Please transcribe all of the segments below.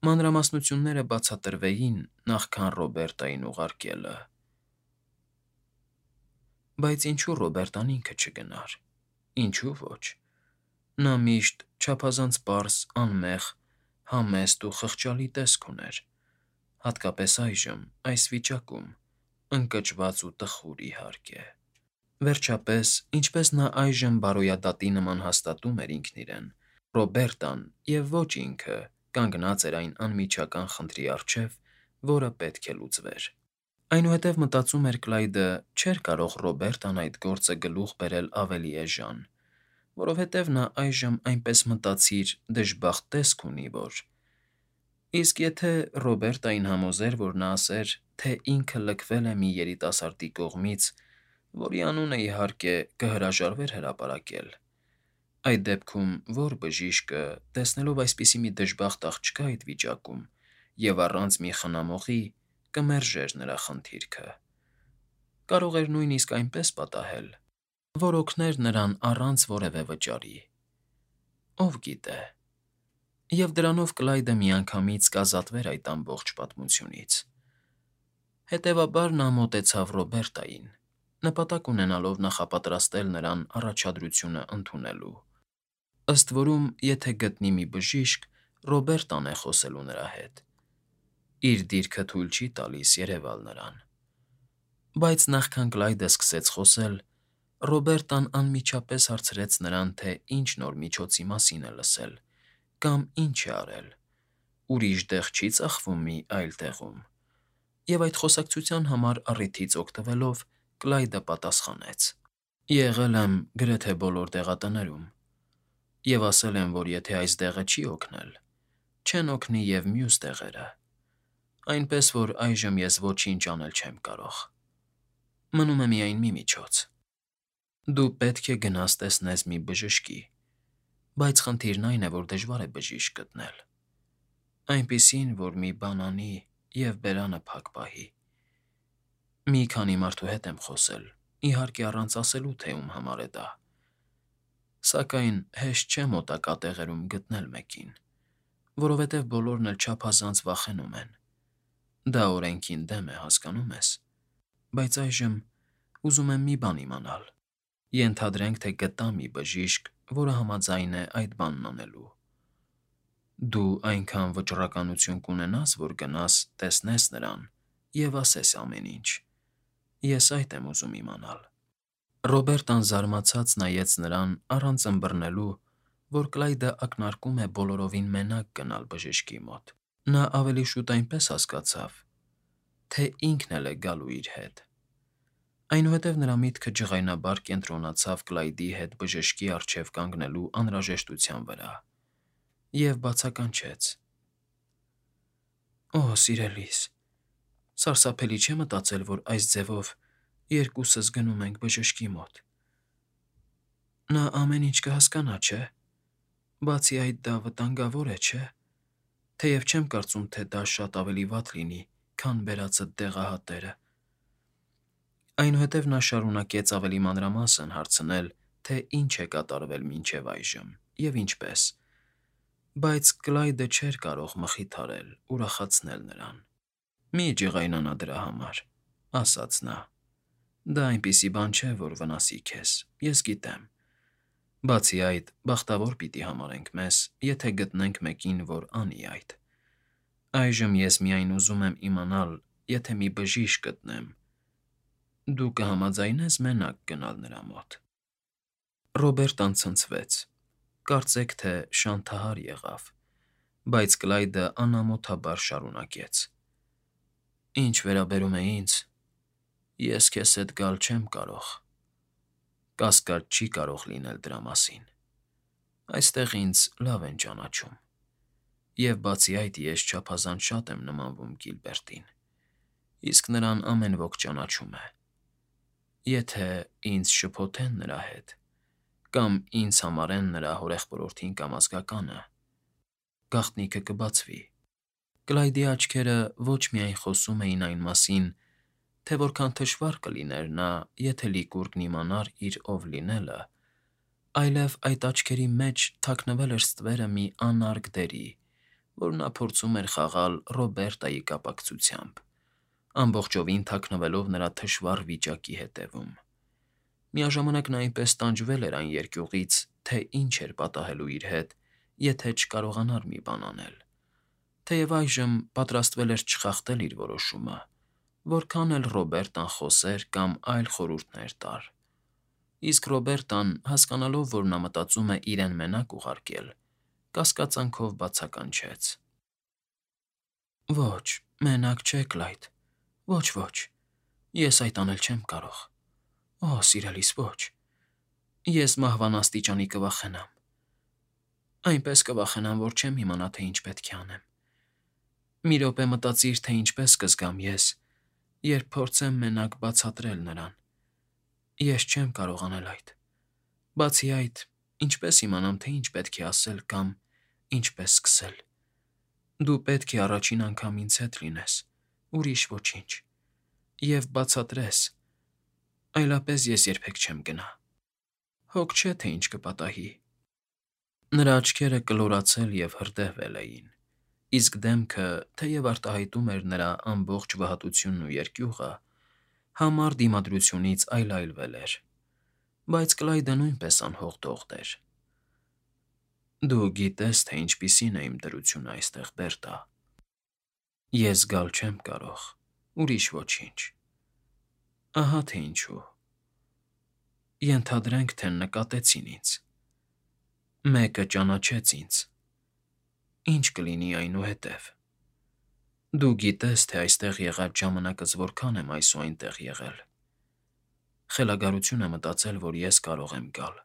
Մանրամասնությունները բացատրվեին նախքան Ռոբերտային ուղարկելը։ Բայց ինչու Ռոբերտան ինքը չգնար։ Ինչու ոչ։ Նա միշտ չափազանց պարզ, անմեղ, համեստ ու խղճալի տեսք ուներ, հատկապես այժմ, այս վիճակում, ընկճված ու տխուր, իհարկե։ Վերջապես, ինչպես նա այժմ բարոյադատի նման հաստատում էր ինքն իրեն, Ռոբերտան և ոչ ինքը կանգնած էր այն անմիջական խնդրի առջև, որը պետք է լուծվեր։ Այնուհետև մտածում էր Կլայդը, չէր կարող Ռոբերտան այդ գործը գլուխ բերել ավելի էժան, որովհետև նա այժմ այնպես մտածիր դժբախտ տեսք ունի, որ… Իսկ եթե Ռոբերտային համոզեր, որ նա ասեր, թե ինքը լքվել է մի երիտասարդի կողմից, որի անունը, իհարկե, կհրաժարվեր հրապարակել, այդ դեպքում ո՞ր բժիշկը, տեսնելով այսպիսի մի դժբախտ աղջկա այդ վիճակում և առանց մի խնամողի, կմերժեր նրա խնդիրքը… Կարող էր նույնիսկ այնպես պատահել, որ օգներ նրան առանց որևէ վճարի… Ով գիտե… Եվ դրանով Կլայդը միանգամից կազատվեր այդ ամբողջ պատմությունից… Հետևաբար նա մոտեցավ Ռոբերտային, նպատակ ունենալով նախապատրաստել նրան առաջադրությունը ընդունելու… Ըստ որում, եթե գտնի մի բժիշկ, Ռոբերտան է խոսելու նրա հետ… Իր դիրքը թույլ չի տալիս երևալ նրան… Բայց նախքան Կլայդը սկսեց խոսել, Ռոբերտան անմիջապես հարցրեց նրան, թե ինչ նոր միջոցի մասին է լսել կամ ինչ է արել, ուրիշ տեղ չի՞ ծախվում մի այլ տեղում… Եվ այդ խոսակցության համար առիթից օգտվելով Կլայդը պատասխանեց. Եղել եմ գրեթե բոլոր դեղատներում և ասել են, որ եթե այս դեղը չի օգնել, չեն օգնի և մյուս դեղերը, այնպես որ այժմ ես ոչինչ անել չեմ կարող… Մնում է միայն մի միջոց. դու պետք է գնաս տեսնես մի բժշկի, բայց խնդիրն այն է, որ դժվար է բժիշկ գտնել, այնպիսին, որ մի բան անի և բերանը փակ պահի… Մի քանի մարդու հետ եմ խոսել, իհարկե առանց ասելու, թե ում համար է դա… Սակայն հեշտ չէ մոտակա տեղերում գտնել մեկին, որովհետև բոլորն էլ չափազանց վախենում են… Դա օրենքին դեմ է, հասկանո՞ւմ ես… Բայց այժմ ուզում եմ մի բան իմանալ… Ենթադրենք, թե գտա մի բժիշկ, որը համաձայն է այդ բանն անելու… Դու այնքան վճռականություն կունենա՞ս, որ գնաս, տեսնես նրան և ասես ամեն ինչ… Ես այդ եմ ուզում իմանալ… Ռոբերտան զարմացած նայեց նրան առանց ըմբռնելու, որ Կլայդը ակնարկում է բոլորովին մենակ գնալ բժշկի մոտ… Նա ավելի շուտ այնպես հասկացավ, թե ինքն էլ է գալու իր հետ… Այնուհետև նրա միտքը ջղայնաբար կենտրոնացավ Կլայդի հետ բժշկի առջև կանգնելու անհրաժեշտության վրա և բացականչեց. Օ, սիրելիս, սարսափելի չէ մտածել, որ այս ձևով երկուսս գնում ենք բժշկի մոտ… Նա ամեն ինչ կհասկանա, չէ՞… Բացի այդ, դա վտանգավոր է, չէ՞… Թեև չեմ կարծում, թե դա շատ ավելի վատ լինի, քան բերածդ դեղահատերը… Այնուհետև նա շարունակեց ավելի մանրամասն հարցնել, թե ինչ է կատարվել մինչև այժմ և ինչպես… Բայց Կլայդը չէր կարող մխիթարել, ուրախացնել նրան։ «Մի ջղայնանա դրա համար,֊ ասաց նա,֊ դա այնպիսի բան չէ, որ վնասի քեզ, ես գիտեմ… Բացի այդ, բախտավոր պիտի համարենք մեզ, եթե գտնենք մեկին, որ անի այդ… Այժմ ես միայն ուզում եմ իմանալ, եթե մի բժիշկ գտնեմ, դու կհամաձայնե՞ս մենակ գնալ նրա մոտ… Ռոբերտան ցնցվեց, կարծեք թե շանթահար եղավ, բայց Կլայդը անամոթաբար շարունակեց. Ինչ վերաբերում է ինձ, ես քեզ հետ գալ չեմ կարող… Կասկած չի կարող լինել դրա մասին… Այստեղ ինձ լավ են ճանաչում… Եվ բացի այդ, ես չափազանց շատ եմ նմանվում Կիլբերտին, իսկ նրան ամեն ոք ճանաչում է… Եթե ինձ շփոթեն նրա հետ կամ ինձ համարեն նրա հորեղբորորդին կամ ազգականը, գաղտնիքը կբացվի… Կլայդի աչքերը ոչ միայն խոսում էին այն մասին, թե որքան թշվառ կլիներ նա, եթե Լիկուրգն իմանար իր ով լինելը, այլև այդ աչքերի մեջ թաքնվել էր ստվերը մի անարգ դերի, որ նա փորձում էր խաղալ Ռոբերտայի կապակցությամբ, ամբողջովին թաքնվելով նրա թշվառ վիճակի հետևում։ Միաժամանակ նա այնպես տանջվել էր այն երկյուղից, թե ինչ էր պատահելու իր հետ, եթե չկարողանար մի բան անել։ Թեև այժմ պատրաստվել էր չխախտել իր որոշումը, որքան էլ Ռոբերտան խոսեր կամ այլ խորհուրդներ տար։ Իսկ Ռոբերտան, հասկանալով, որ նա մտածում է իրեն մենակ ուղարկել, կասկածանքով բացականչեց. Ոչ, մենակ չեք, Լայթ, ոչ, ես այդ անել չեմ կարող։ Օ, սիրելիս, ոչ, ես մահվան աստիճանի կվախենամ։ Այնպես կվախենամ, որ չեմ իմանա, թե ինչ պետք է անեմ։ Մի րոպե մտածիր, թե ինչպես կզգամ ես, երբ փորձեմ մենակ բացատրել նրան։ Ես չեմ կարող անել այդ։ Բացի այդ, ինչպես իմանամ, թե ինչ պետք է ասել կամ ինչպես սկսել։ Դու պետք է առաջին անգամ ինձ հետ լինես, ուրիշ ոչինչ, և բացատրես, այլապես ես երբեք չեմ գնա։ Հոգ չէ, թե ինչ կպատահի։ Նրա աչքերը կլորացել և հրդեհվել էին, իսկ դեմքը, թեև արտահայտում էր նրա ամբողջ վհատությունն ու երկյուղը, համառ դիմադրությունից այլայլվել էր, բայց Կլայդը նույնպես անհող-դողդ էր։ Դու գիտես, թե ինչպիսին է իմ դրությունը այստեղ, Բերտա։ Ես գալ չեմ կարող, ուրիշ ոչինչ։ Ահա թե ինչու։ Ենթադրենք, թե նկատեցին ինձ։ Մեկը ճանաչեց ինձ։ Ինչ կլինի այնուհետև։ Դու գիտես, թե այստեղ եղած ժամանակս որքան եմ այս ու այնտեղ եղել։ Խելագարություն է մտածել, որ ես կարող եմ գալ։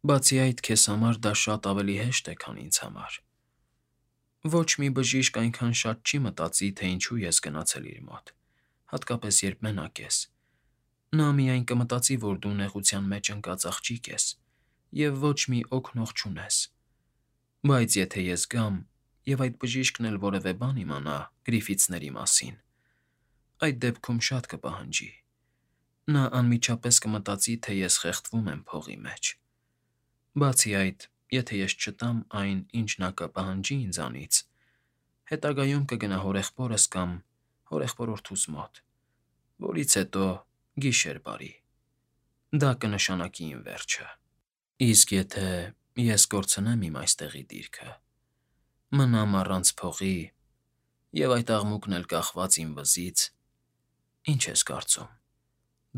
Բացի այդ, քեզ համար դա շատ ավելի հեշտ է, քան ինձ համար։ Ոչ մի բժիշկ այնքան շատ չի մտածի, թե ինչու ես գնացել իր մոտ, հատկապես երբ մենակ ես։ Նա միայն կմտածի, որ դու նեղության մեջ ընկած աղջիկ ես և ոչ մի օգնող չունես։ Բայց եթե ես գամ, և այդ բժիշկն էլ որևէ բան իմանա Գրիֆիթսների մասին, այդ դեպքում շատ կպահանջի։ Նա անմիջապես կմտածի, թե ես խեղդվում եմ փողի մեջ։ Բացի այդ, եթե ես չտամ այն, ինչ նա կպահանջի ինձանից, հետագայում կգնա հորեղբորս կամ հորեղբորորդուս մոտ, որից հետո գիշեր բարի։ Դա կնշանակի իմ վերջը։ Իսկ եթե ես կորցնեմ իմ այստեղի դիրքը, մնամ առանց փողի և այդ աղմուկն էլ կախված իմ վզից, ինչ ես կարծում,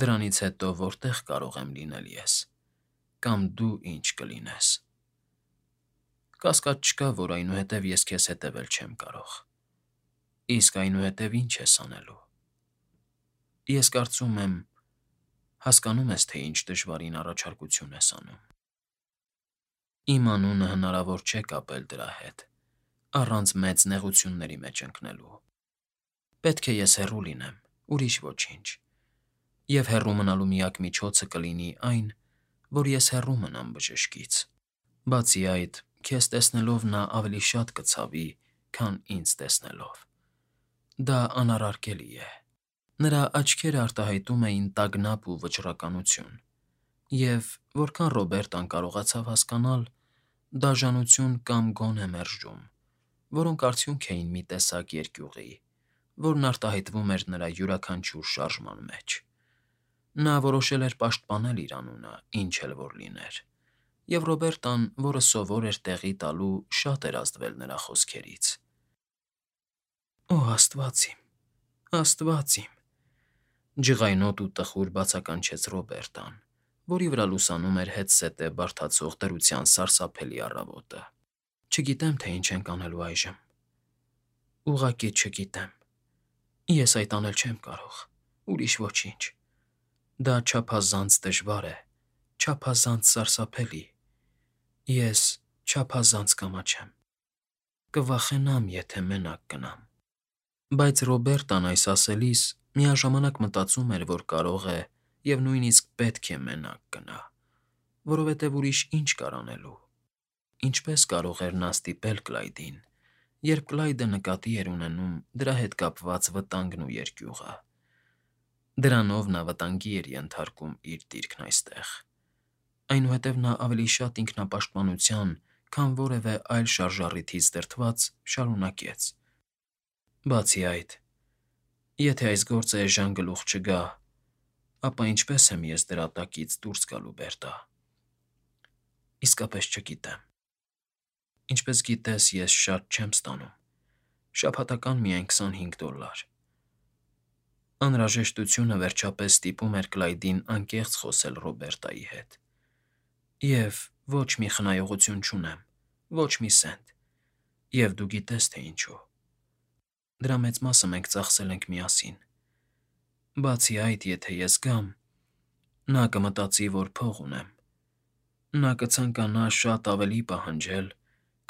դրանից հետո որտե՞ղ կարող եմ լինել ես, կամ դու ինչ կլինես։ Կասկած չկա, որ այնուհետև ես քեզ հետևել չեմ կարող։ Իսկ այնուհետև ինչ ես անելու։ Ես կարծում եմ, հասկանում ես, թե ինչ դժվարին առաջարկություն ես անում։ Իմ անունը հնարավոր չէ կապել դրա հետ, առանց մեծ նեղությունների մեջ ընկնելու։ Պետք է ես հեռու լինեմ, ուրիշ ոչինչ։ Եվ հեռու մնալու միակ միջոցը կլինի այն, որ ես հեռու մնամ բժշկից։ Բացի այդ, քեզ տեսնելով նա ավելի շատ կցավի, քան ինձ տեսնելով։ Դա անարարկելի է։ Նրա աչքերը արտահայտում էին տագնապ ու վճռականություն, և, որքան Ռոբերտան կարողացավ հասկանալ, դաժանություն կամ գոնե մերժում, որոնք արդյունք էին մի տեսակ երկյուղի, որն արտահայտվում էր նրա յուրաքանչյուր շարժման մեջ։ Նա որոշել էր պաշտպանել իր անունը, ինչ էլ որ լիներ, և Ռոբերտան, որը սովոր էր տեղի տալու, շատ էր ազդվել նրա խոսքերից։ Օ, Աստված իմ, Աստված իմ, ջղայնոտ ու տխուր բացականչեց Ռոբերտան, որի վրա լուսանում էր հետզհետե բարդացող դրության սարսափելի առավոտը։ Չգիտեմ, թե ինչ ենք անելու այժմ։ Ուղղակի չգիտեմ։ Ես այդ անել չեմ կարող, ուրիշ ոչինչ։ Դա չափազանց դժվար է, չափազանց սարսափելի։ Ես չափազանց կամաչեմ։ Կվախենամ, եթե մենակ գնամ։ Բայց Ռոբերտան այս ասելիս միաժամանակ մտածում էր, որ կարող է և նույնիսկ պետք է մենակ գնա, որովհետև ուրիշ ինչ կար անելու։ Ինչպես կարող էր նա ստիպել Կլայդին, երբ Կլայդը նկատի էր ունենում դրա հետ կապված վտանգն ու երկյուղը։ Դրանով նա վտանգի էր ենթարկում իր դիրքն այստեղ։ Այնուհետև նա ավելի շատ ինքնապաշտպանության, քան որևէ այլ շարժառիթից դրդված, շարունակեց. Բացի այդ, եթե այս գործը էժան գլուխ չգա, ապա ինչպես եմ ես դրա տակից դուրս գալու, Բերտա։ Իսկապես չգիտեմ։ Ինչպես գիտես, ես շատ չեմ ստանում։ Շաբաթական միայն $25։ Անհրաժեշտությունը վերջապես ստիպում էր Կլայդին անկեղծ խոսել Ռոբերտայի հետ։ Եվ ոչ մի խնայողություն չունեմ, ոչ մի սենտ։ Եվ դու գիտես, թե ինչու։ Դրա մեծ մասը մենք ծախսել ենք միասին։ Բացի այդ, եթե ես գամ, նա կմտածի, որ փող ունեմ։ Նա կցանկանա շատ ավելի պահանջել,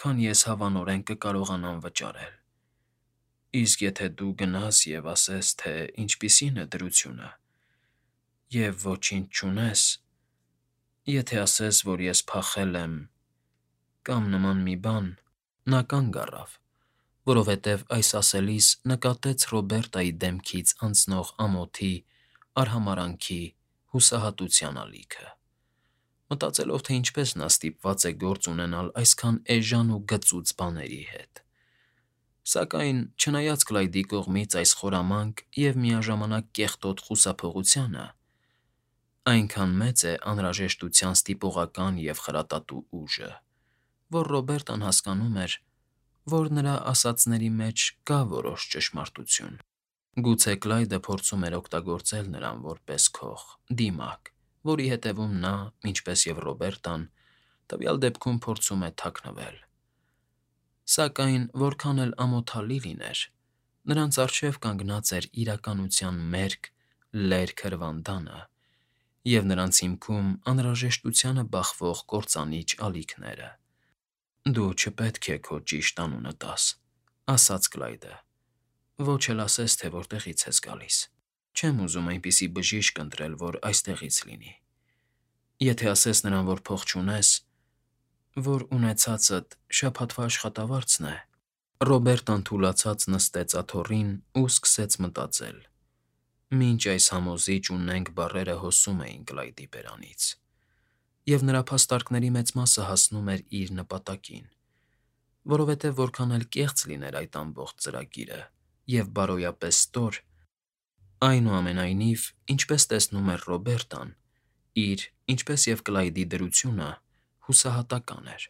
քան ես հավանորեն կկարողանամ վճարել։ Իսկ եթե դու գնաս և ասես, թե ինչպիսին է դրությունը, և ոչինչ չունես, եթե ասես, որ ես փախել եմ, կամ նման մի բան, նա կանգ առավ, որովհետև այս ասելիս նկատեց Ռոբերտայի դեմքից անցնող ամոթի, արհամարհանքի, հուսահատության ալիքը։ Մտածելով, թե ինչպես նա ստիպված է գործ ունենալ այսքան էժան ու գծուծ բաների հետ։ Սակայն, չնայած Կլայդի կողմից այս խորամանկ և միաժամանակ կեղտոտ խուսափողությանը, այնքան մեծ է անհրաժեշտության ստիպողական և խրատատու ուժը, որ Ռոբերտան հասկանում էր, որ նրա ասածների մեջ կա որոշ ճշմարտություն։ Գուցե Կլայդը փորձում էր օգտագործել նրան որպես քող, դիմակ, որի հետևում նա, ինչպես և Ռոբերտան, տվյալ դեպքում փորձում է թաքնվել։ Սակայն, որքան էլ ամոթալի լիներ, նրանց առջև կանգնած էր իրականության մերկ, լերկ հրվանդանը և նրանց հիմքում անհրաժեշտությանը բախվող կործանիչ ալիքները։ «Դու չպետք է քո ճիշտ անունը տաս,» ասաց Կլայդը, «ոչ էլ ասես, թե որտեղից ես գալիս։ Չեմ ուզում այնպիսի բժիշկ ընտրել, որ այստեղից լինի։ Եթե ասես նրան, որ փող չունես, որ ունեցածդ շաբաթվա աշխատավարձն է»։ Ռոբերտան թուլացած նստեց աթոռին ու սկսեց մտածել, մինչ այս համոզիչ ու նենգ բառերը հոսում էին Կլայդի բերանից, և նրա փաստարկների մեծ մասը հասնում էր իր նպատակին, որովհետև որքան էլ կեղծ լիներ այդ ամբողջ ծրագիրը և բարոյապես ստոր, այնուամենայնիվ, ինչպես տեսնում էր Ռոբերտան, իր, ինչպես և Կլայդի դրությունը հուսահատական էր։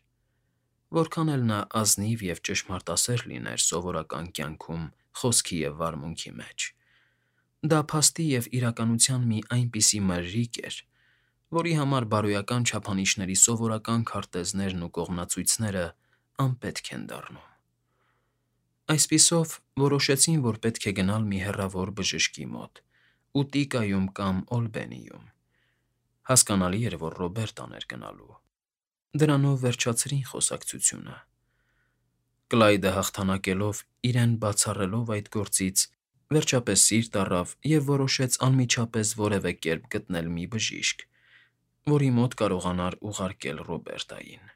Որքան էլ նա ազնիվ և ճշմարտասեր լիներ սովորական կյանքում խոսքի և վարմունքի մեջ, դա փաստի և իրականության մի այնպիսի մրրիկ էր, որի համար բարոյական չափանիշների սովորական քարտեզներն ու կողմնացույցները անպետք են դառնում։ Այսպիսով, որոշեցին, որ պետք է գնալ մի հեռավոր բժշկի մոտ՝ Ուտիկայում կամ Օլբենիում։ Հասկանալի էր, որ Ռոբերտան էր գնալու։ Դրանով վերջացրին խոսակցությունը։ Կլայդը հաղթանակելով իրեն բացառելով այդ գործից, վերջապես սիրտ առավ և որոշեց անմիջապես որևէ կերպ գտնել մի բժիշկ, որի մոտ կարողանար ուղարկել Ռոբերտային։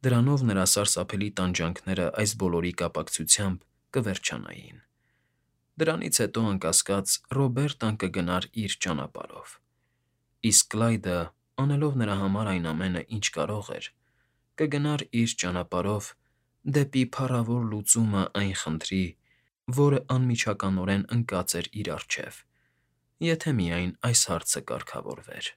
Դրանով նրա սարսափելի տանջանքները այս բոլորի կապակցությամբ կվերջանային։ Դրանից հետո, անկասկած, Ռոբերտան կգնար իր ճանապարհով, իսկ Կլայդը, անելով նրա համար այն ամենը, ինչ կարող էր, կգնար իր ճանապարհով դեպի փառավոր լուծումը այն խնդրի, որը անմիջականորեն ընկած էր իր առջև, եթե միայն այս հարցը կարգավորվեր։